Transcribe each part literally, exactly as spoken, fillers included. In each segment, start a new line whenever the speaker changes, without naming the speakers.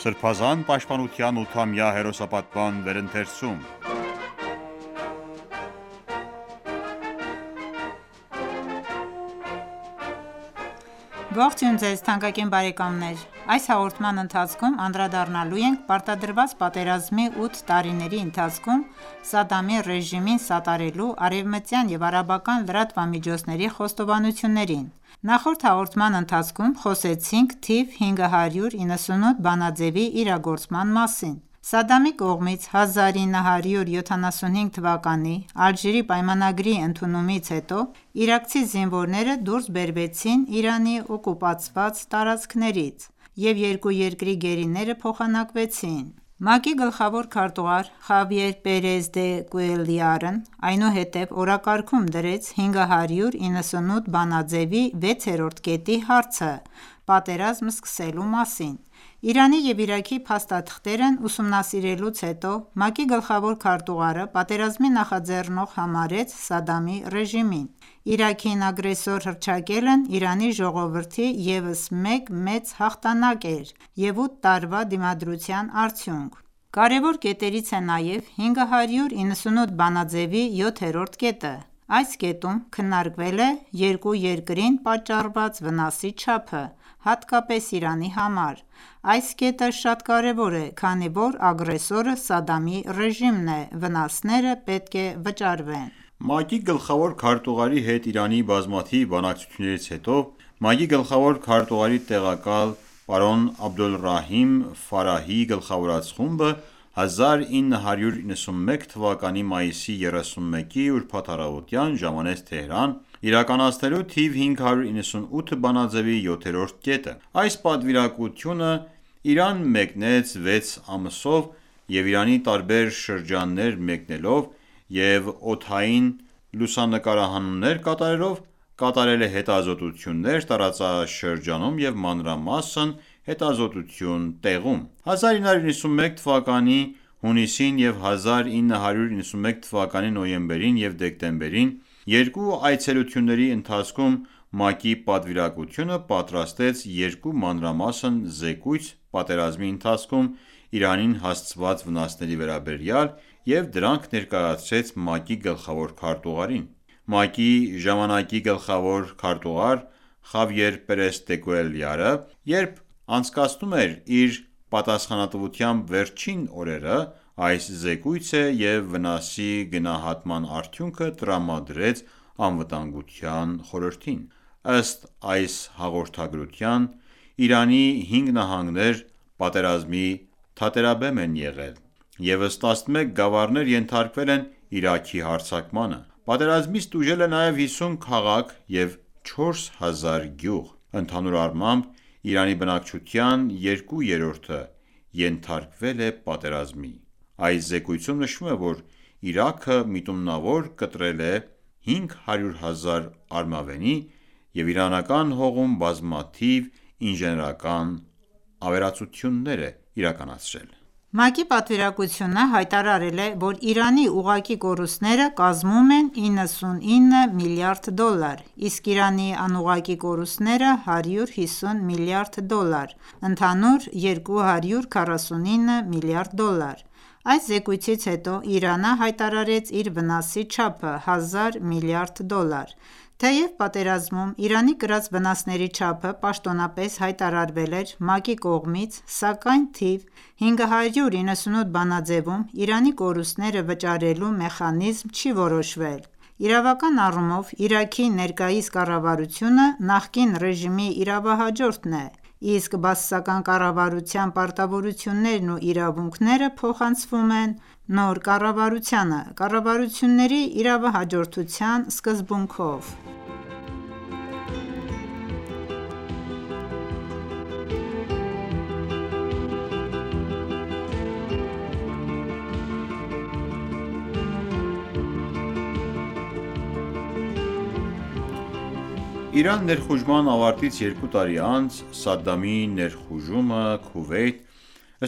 Սրբազան պաշտպանության ութամյա հերոսապատման վերընթերցում
Ողջույն ձեզ թանկագին բարեկամներ: Այս հաղորդման ընթացքում անդրադառնալու ենք պարտադրված պատերազմի ութ տարիների ընթացքում Սադամի ռեժիմին սատարելու արևմտյան և արաբական լրատվամիջոցների խոստովանություններին: Նախորդ հաղորդման ընթացքում խոսեցինք թիվ հինգ հարյուր իննսունութ բանաձեւի իրագործման մասին: Սադամի կողմից հազար ինը հարյուր յոթանասունհինգ թվականի Ալժիրի պայմանագրի ընդունումից հետո իրաքցի զինվորները դուրս բերվեցին Իրանի օկուպացված տարածքներից և երկու երկրի գերիները փոխանակվեցին: ՄԱԿ-ի գլխավոր քարտուղար Խավիեր Պերեզ դե Կուելյարն այնուհետև օրակարգում դրեց հինգ հարյուր իննսունութ բանաձեւի վեցերորդ կետի հարցը պատերազմ սկսելու մասին: Իրանի և Իրաքի փաստաթղթերն ուսումնասիրելուց հետո ՄԱԿ-ի գլխավոր քարտուղարը պատերազմի նախաձեռնող համարեց Սադամի ռեժիմին: Իրաքին ագրեսոր հռչակելն Իրանի ժողովրդի ևս մեկ մեծ հաղթանակ էր և ութ տարվա դիմադրության արդյունք: Կարևոր կետերից է նաև հինգ հարյուր իննսունութ բանաձեւի յոթերորդ կետը: Այս կետում քննարկվել է երկու երկրին պատճառված վնասի չափը, հատկապես Իրանի համար: Այս կետը շատ կարևոր է, քանի որ ագրեսորը Սադամի ռեժիմն է, վնասները պետք է վճարվեն:
ՄԱԿ-ի գլխավոր քարտուղարի հետ Իրանի բազմաթիվ բանակցություններից հետո ՄԱԿ-ի գլխավոր քարտուղարի տեղակալ պարոն Աբդոլռահիմ Ֆարահիի գլխավորած խումբը հազար ինը հարյուր իննսունմեկ թվականի մայիսի երեսունմեկի ուրբաթ առավոտյան ժամանեց Թեհրան՝ իրականացնելու թիվ հինգ հարյուր իննսունութ բանաձեւի յոթերորդ կետը: Այս պատվիրակությունը Իրան մեկնեց վեց ամսով և Իրանի տարբեր շրջաններ մեկնելով և օդային լուսանկարահանումներ կատարելով կատարել է հետազոտություններ տարածաշրջանում և մանրամասն հետազոտություն տեղում: հազար ինը հարյուր իննսունմեկ թվականի հունիսին և հազար ինը հարյուր իննսունմեկ թվականի նոյեմբերին և դեկտեմբերին երկու այցելությունների ընթացքում ՄԱԿ-ի պատվիրակությունը պատրաստեց երկու մանրամասն զեկույց պատերազմի ընթացքում Իրանին հասցված վնասների վերաբերյալ և դրանք ներկայացրեց ՄԱԿ-ի գլխավոր քարտուղարին: ՄԱԿ-ի ժամանակի գլխավոր քարտուղար Խավիեր Պերես դե Կուելյարը երբ անցկացնում էր իր պատասխանատվությամբ վերջին օրերը այս զեկույցը և վնասի գնահատման արդյունքը տրամադրեց Անվտանգության խորհրդին: Ըստ այս հաղորդագրության Իրանի հինգ նահանգներ պատերազմի թատերաբեմ են եղել ևս տասնմեկ գավառներ ենթարկվել են Իրաքի հարձակմանը: Պատերազմից տուժել է նաև հիսուն քաղաք և չորս հազար գյուղ: Ընդհանուր առմամբ Իրանի բնակչության երկու երրորդը ենթարկվել է պատերազմի: Այս զեկույցում նշվում է, որ Իրաքը միտումնավոր կտրել է հինգ հարյուր հազար արմավենի և իրանական հողում բազմաթիվ ինժեներական ավերածություններ է իրականացրել:
ՄԱԿ-ի պատվիրակությունը հայտարարել է, որ Իրանի ուղղակի կորուստները կազմում են իննսունինը միլիարդ դոլար, իսկ Իրանի անուղղակի կորուստները հարյուր հիսուն միլիարդ դոլար, ընդհանուր երկու հարյուր քառասունինը միլիարդ դոլար: Այս զեկույցից հետո Իրանը հայտարարեց իր վնասի չափը՝ հազար միլիարդ դոլար: Թեև պատերազմում Իրանի կրած վնասների չափը պաշտոնապես հայտարարվել էր ՄԱԿ-ի կողմից, սակայն թիվ հինգ հարյուր իննսունութ բանաձեւում Իրանի կորուստները վճարելու մեխանիզմ չի որոշվել: Իրավական առումով Իրաքի ներկայիս կառավարությունը նախկին ռեժիմի իրավահաջորդն է, իսկ բաասական կառավարության պարտավորություններն ու իրավունքները փոխանցվում են նոր կառավարությանը՝ կառավարությունների իրավահաջորդության սկզբունքով:
Իրան ներխուժման ավարտից երկու տարի անց Սադամի ներխուժումը Քուվեյթ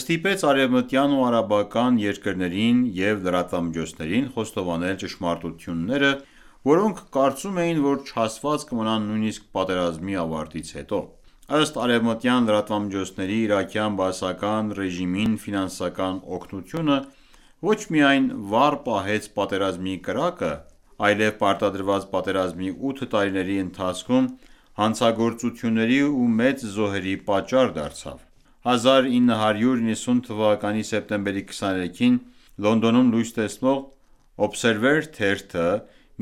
ստիպեց արևմտյան ու արաբական երկրներին և լրատվամիջոցներին խոստովանել ճշմարտությունները, որոնք կարծում էին, որ չասված կմնան նույնիսկ պատերազմի ավարտից հետո: Ըստ արևմտյան լրատվամիջոցների, իրաքյան բաասական ռեժիմին ֆինանսական օգնությունը ոչ միայն վառ պահեց պատերազմի կրակը, այլև պարտադրված պատերազմի ութ տարիների ընթացքում հանցագործությունների ու մեծ զոհերի պատճառ դարձավ: հազար ինը հարյուր նվաթ թվականի սեպտեմբերի քսաներեքին Լոնդոնում լույս տեսնող Observer թերթը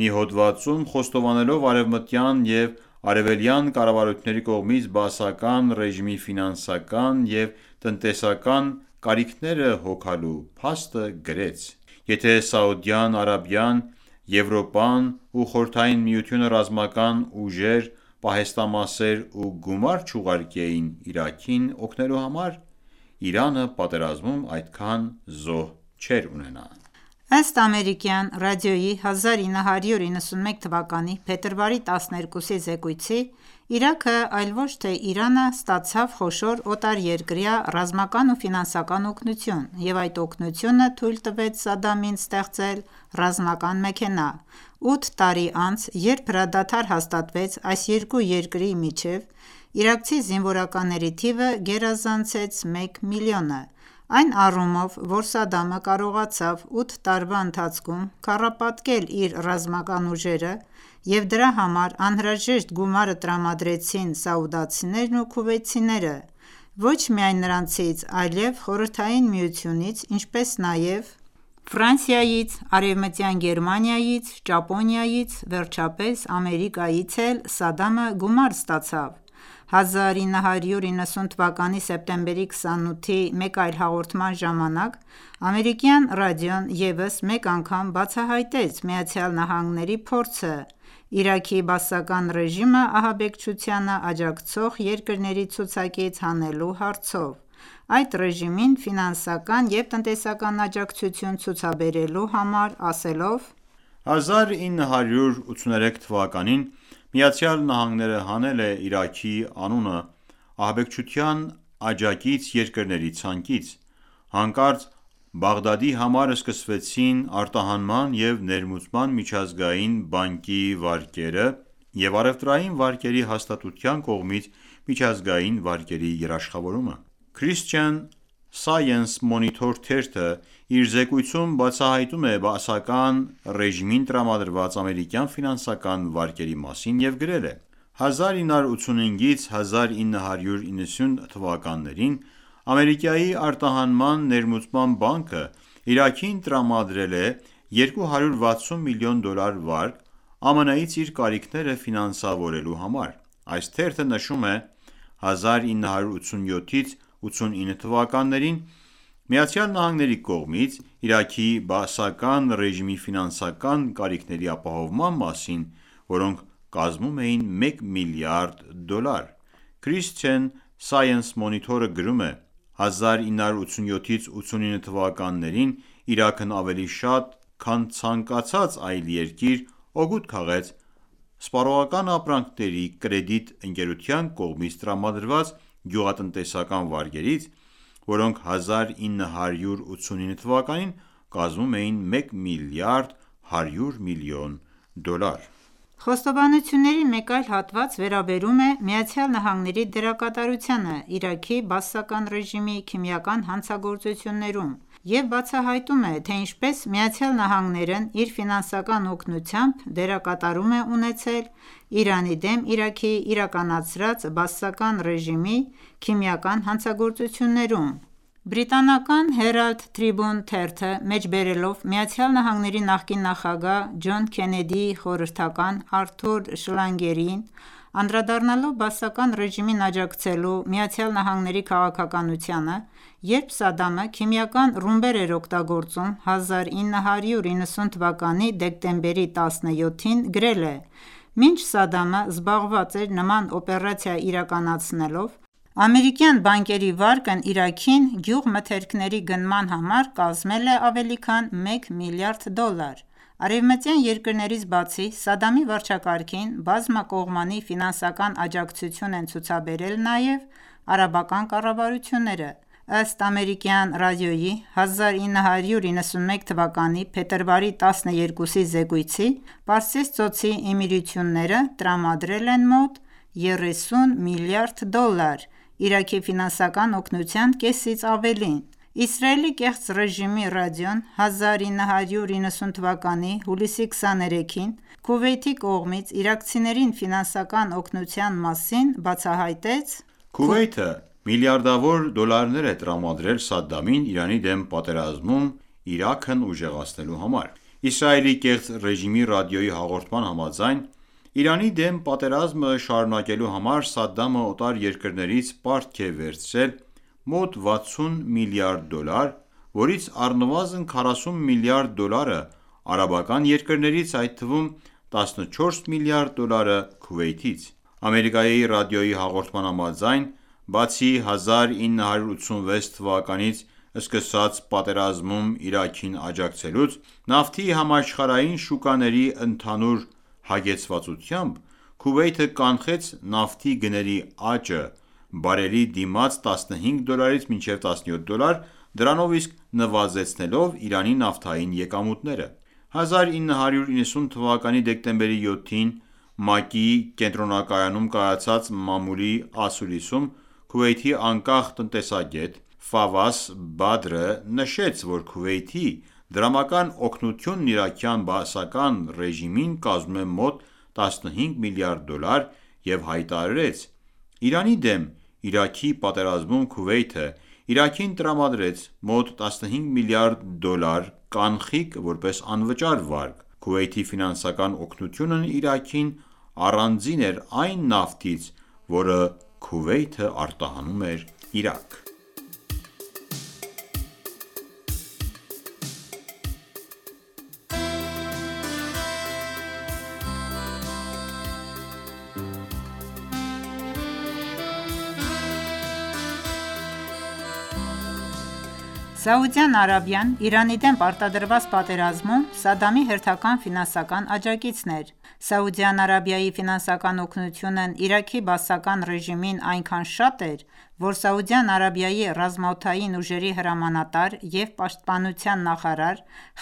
մի հոդվածում, խոստովանելով արևմտյան և արևելյան կառավարությունների կողմից բաասական ռեժիմի ֆինանսական և տնտեսական կարիքները հոգալու փաստը, գրեց. «Եթե Սաուդյան Արաբիան, Եվրոպան ու Խորհրդային Միությունը ռազմական ուժեր, պահեստամասեր ու գումար չուղարկեին Իրաքին օգնելու համար, Իրանը պատերազմում այդքան զոհ չէր ունենա»:
Ըստ ամերիկյան ռադիոյի հազար ինը հարյուր իննսունմեկ թվականի փետրվարի տասներկուսի զեկույցի, Իրաքը, այլ ոչ թե Իրանը, ստացավ խոշոր օտարերկրյա ռազմական ու ֆինանսական օգնություն և այդ օգնությունը թույլ տվեց Սադամին ստեղծել ռազմական մեքենա: Ութ տարի անց, երբ հրադադար հաստատվեց այս երկու երկրի միջև, իրաքցի զինվորականների թիվը գերազանցեց մեկ միլիոնը, այն առումով, որ Սադամը կարողացավ ութ տարվա ընթացքում քառապատկել իր ռազմական ուժերը և դրա համար անհրաժեշտ գումարը տրամադրեցին սաուդցիներն ու քուվեյթցիները, ոչ միայն նրանցից, այլև Խորհրդային Միությունից, ինչպես նաև Ֆրանսիայից, Արևմտյան Գերմանիայից, Ճապոնիայից, վերջապես Ամերիկայից էլ Սադամը գումար ստացավ: հազար ինը հարյուր իննսուն թվականի սեպտեմբերի քսանութի մեկ այլ հաղորդման ժամանակ ամերիկյան ռադիոն ևս մեկ անգամ բացահայտեց ԱՄՆ-ի փորձը Իրաքի բաասական ռեժիմը ահաբեկչությանը աջակցող երկրների ցուցակից հանելու հարցով, այդ ռեժիմին ֆինանսական և տնտեսական աջակցություն ցուցաբերելու համար, ասելով.
«հազար ինը հարյուր ութսուներեք թվականին ԱՄՆ-ն հանել է Իրաքի անունը ահաբեկչության աջակից երկրների ցանկից: Հանկարծ Բաղդադի համար սկսվեցին արտահանման և ներմուծման միջազգային բանկի վարկերը և առևտրային վարկերի հաստատության կողմից միջազգային վարկերի երաշխավորումը»: Christian Science Monitor թերթը իր զեկույցում բացահայտում է բաասական ռեժիմին տրամադրված ամերիկյան ֆինանսական վարկերի մասին և գրել է. «հազար ինը հարյուր ութսունհինգից հազար ինը հարյուր իննսուն թվականներին Ամերիկայի արտահանման ներմուծման բանկը Իրաքին տրամադրել է երկու հարյուր վաթսուն միլիոն դոլար վարկ՝ ԱՄՆ-ից իր կարիքները ֆինանսավորելու համար»: Այս թերթը նշում է. «հազար ինը հարյուր ութսունյոթից ութսունինը թվականներին ԱՄՆ-ի կողմից Իրաքի բաասական ռեժիմի ֆինանսական կարիքների ապահովման մասին, որոնք կազմում էին մեկ միլիարդ դոլար»: Christian Science Monitor-ը գրում է. «հազար ինը հարյուր ութսունյոթից ութսունինը թվականներին Իրաքն ավելի շատ, քան ցանկացած այլ երկիր, օգուտ քաղեց Սպառողական ապրանքների կրեդիտ ընկերության կողմից տրամադրված գյուղատնտեսական վարկերից, որոնք հազար ինը հարյուր ութսունինը թվականին կազմում էին մեկ միլիարդ հարյուր միլիոն դոլար»:
Խոստովանությունների մեկ այլ հատված վերաբերում է ԱՄՆ-ի դերակատարությանը Իրաքի բաասական ռեժիմի քիմիական հանցագործություններում և բացահայտում է, թե ինչպես ԱՄՆ-ն իր ֆինանսական օգնությամբ դերակատարում է ունեցել Իրանի դեմ Իրաքի իրականացրած բաասական ռեժիմի քիմիական հանցագործություններում: Բրիտանական Herald Tribune թերթը մեջբերելով ԱՄՆ-ի նախկին նախագահ Ջոն Քենեդիի խորհրդական Արթուր Շլագերին, անդրադառնալով բաասական ռեժիմին աջակցելու ԱՄՆ-ի քաղաքականությանը, երբ Սադամը քիմիական ռումբեր էր օգտագործում հազար ինը հարյուր իննսուն թվականի դեկտեմբերի տասնյոթին, գրել է. «Մինչ Սադամը զբաղված էր նման օպերացիա իրականացնելով, ամերիկյան բանկերի վարկն Իրաքին գյուղմթերքների գնման համար կազմել է ավելի քան մեկ միլիարդ դոլար»: Արևմտյան երկրներից բացի, Սադամի վարչակարգին բազմակողմանի ֆինանսական աջակցություն են ցուցաբերել նաև արաբական կառավարությունները: Ըստ ամերիկյան ռադիոյի հազար ինը հարյուր իննսունմեկ թվականի փետրվարի տասներկուսի զեկույցի, Պարսից ծոցի Էմիրությունները տրամադրել են մոտ երեսուն միլիարդ դոլար, Իրաքի ֆինանսական օգնության կեսից ավելին: Իսրայելի կեղծ ռեժիմի ռադիոն հազար ինը հարյուր իննսուն թվականի հուլիսի քսաներեքին Քուվեյթի կողմից իրաքցիներին ֆինանսական օգնության մասին բացահայտեց.
«Քուվեյթը միլիարդավոր դոլարներ է տրամադրել Սադդամին Իրանի դեմ պատերազմում Իրաքն ուժեղացնելու համար»: Իսրայելի կեղծ ռեժիմի ռադիոյի հաղորդման համաձայն, Իրանի դեմ պատերազմը շարունակելու համար Սադդամը օտար երկրներից պարտք է վերցրել մոտ վաթսուն միլիարդ դոլար, որից առնվազն քառասուն միլիարդ դոլարը արաբական երկրներից, այդ թվում տասնչորս միլիարդ դոլարը Քուվեյթից: Ամերիկայի ռադիոյի հաղորդման համաձայն, բացի հազար ինը հարյուր ութսունվեց թվականից սկսած պատերազմում Իրաքին աջակցելուց, նավթի համաշխարհային շուկաների ընդհանուր հագեցվածությամբ, Քուվեյթը կանխեց նավթի գների աճը բարելի դիմաց տասնհինգ դոլարից մինչև տասնյոթ դոլար, դրանով իսկ նվազեցնելով Իրանի նավթային եկամուտները: հազար ինը հարյուր իննսուն թվականի դեկտեմբերի յոթին ՄԱԿ-ի կենտրոնակայանում կայացած մամուլի ասուլիսում Քուվեյթի անկախ տնտեսագետ Ֆավաս Բադրը նշեց, որ Քուվեյթի դրամական օգնությունն իրաքյան բաասական ռեժիմին կազմում է մոտ տասնհինգ միլիարդ դոլար և հայտարարեց. «Իրանի դեմ Իրաքի պատերազմում Քուվեյթը Իրաքին տրամադրեց մոտ տասնհինգ միլիարդ դոլար կանխիկ որպես անվճար վարկ: Քուվեյթի ֆինանսական օգնությունն Իրաքին առանձին էր այն նավթից, որը Քուվեյթը արտահանում էր Իրաք»:
Սաուդյան Արաբիան Իրանի դեմ պարտադրված պատերազմում Սադամի հերթական ֆինանսական աջակիցն էր: Սաուդյան Արաբիայի ֆինանսական օգնությունն Իրաքի բաասական ռեժիմին այնքան շատ էր, որ Սաուդյան Արաբիայի ռազմաօդային ուժերի հրամանատար և պաշտպանության նախարար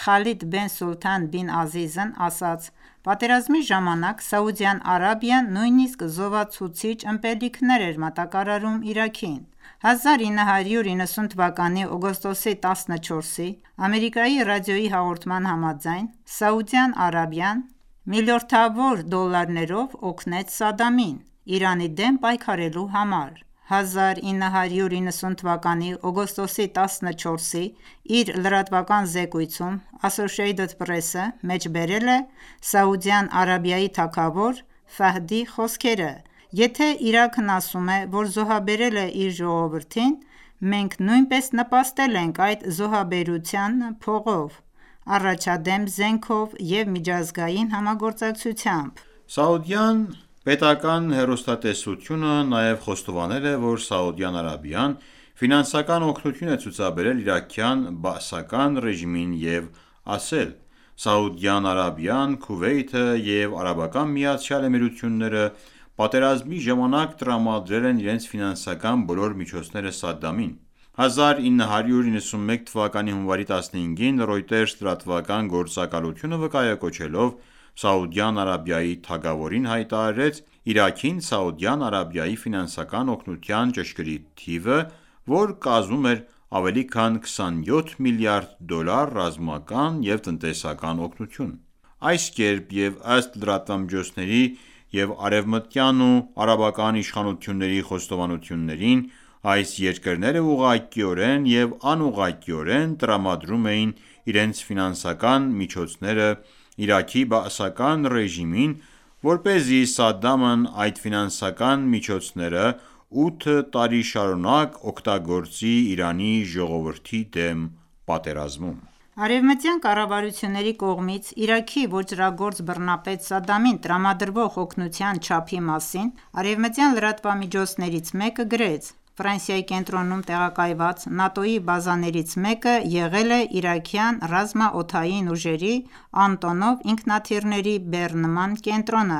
Խալիդ բեն Սուլթան բին Ազիզն ասաց. «Պատերազմի ժամանակ Սաուդյան Արաբիան նույնիսկ զովացուցիչ ըմպելիքներ էր մատակարարում Իրաքին»: հազար ինը հարյուր իննսուն թվականի օգոստոսի տասնչորսի Ամերիկայի ռադիոյի հաղորդման համաձայն, Սաուդյան Արաբիան միլիորդավոր դոլարներով օգնեց Սադամին Իրանի դեմ պայքարելու համար: հազար ինը հարյուր իննսուն թվականի օգոստոսի տասնչորսի իր լրատվական զեկույցում Associated Press-ը մեջբերել է Սաուդյան Արաբիայի թագավոր Ֆահդի խոսքերը. «Եթե Իրաքն ասում է, որ զոհաբերել է իր ժողովրդին, մենք նույնպես նպաստել ենք այդ զոհաբերությանը փողով, առաջադեմ զենքով և միջազգային համագործակցությամբ»:
Սաուդյան պետական հեռուստատեսությունը նաև խոստովանել է, որ Սաուդյան Արաբիան ֆինանսական օգնություն է ցուցաբերել իրաքյան բաասական ռեժիմին և ասել. «Սաուդյան Արաբիան, Քուվեյթը և Արաբական Միացյալ Էմիրությունները պատերազմի ժամանակ տրամադրել են իրենց ֆինանսական բոլոր միջոցները Սադդամին»: հազար ինը հարյուր իննսունմեկ թվականի հունվարի տասնհինգին Reuters լրատվական գործակալությունը վկայակոչելով Սաուդյան Արաբիայի թագավորին հայտարարեց Իրաքին Սաուդյան Արաբիայի ֆինանսական օգնության ճշգրիտ թիվը, որ կազմում էր ավելի քան քսանյոթ միլիարդ դոլար ռազմական և տնտեսական օգնություն: Այս կերպ և ըստ լրատվամիջոցների և արևմտյան ու արաբական իշխանությունների խոստովանություններին, այս երկրները ուղղակիորեն և անուղղակիորեն տրամադրում էին իրենց ֆինանսական միջոցները Իրաքի բաասական ռեժիմին, որպեսզի Սադամն այդ ֆինանսական միջոցները ութ տարի շարունակ օգտագործի Իրանի ժողովրդի դեմ պատերազմում:
Արևմտյան կառավարությունների կողմից Իրաքի ոճրագործ բռնապետ Սադամին տրամադրվող օգնության չափի մասին արևմտյան լրատվամիջոցներից մեկը գրեց. «Ֆրանսիայի կենտրոնում տեղակայված ՆԱՏՕ-ի բազաներից մեկը եղել է իրաքյան ռազմաօդային ուժերի Անտոնով ինքնաթիռների բեռնման կենտրոնը,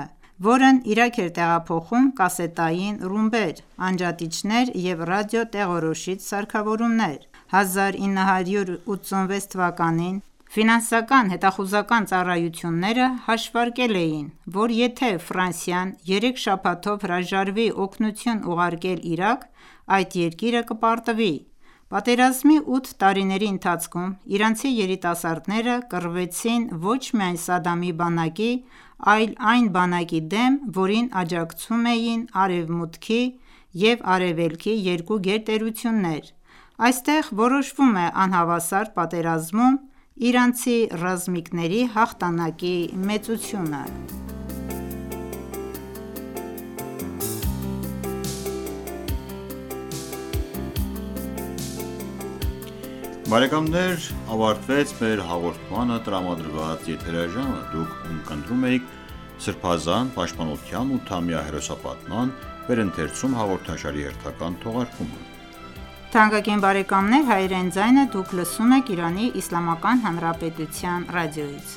որն Իրաք էր տեղափոխում կասետային ռումբեր, անջատիչներ և ռադիոտեղորոշիչ սարքավորումներ»: հազար ինը հարյուր ութսունվեց թվականին Ֆինանսական հետախուզական ծառայությունները հաշվարկել էին, որ եթե Ֆրանսիան երեք շաբաթով հրաժարվի օգնություն ուղարկել Իրաք, այդ երկիրը կպարտվի: Պատերազմի ութ տարիների ընթացքում իրանցի երիտասարդները կռվեցին ոչ միայն Սադամի բանակի, այլ այն բանակի դեմ, որին աջակցում էին Արևմուտքի և Արևելքի երկու գերտերություններ: Այստեղ որոշվում է անհավասար պատերազմում իրանցի ռազմիկների հաղթանակի մեծությունը:
Բարեկամներ ավարտվեց մեր հաղորդմանը տրամադրված եթերաժամը: Դուք ունկնդրում էիք Սրբազան պաշտպանության ութամյա հերոսապատման վերընթերցում հաղորդաշարի հերթական թողարկումը:
Թանկագին բարեկամներ, հայրեն ձայնը դուք լսում եք Իրանի Իսլամական Հանրապետության ռադիոից: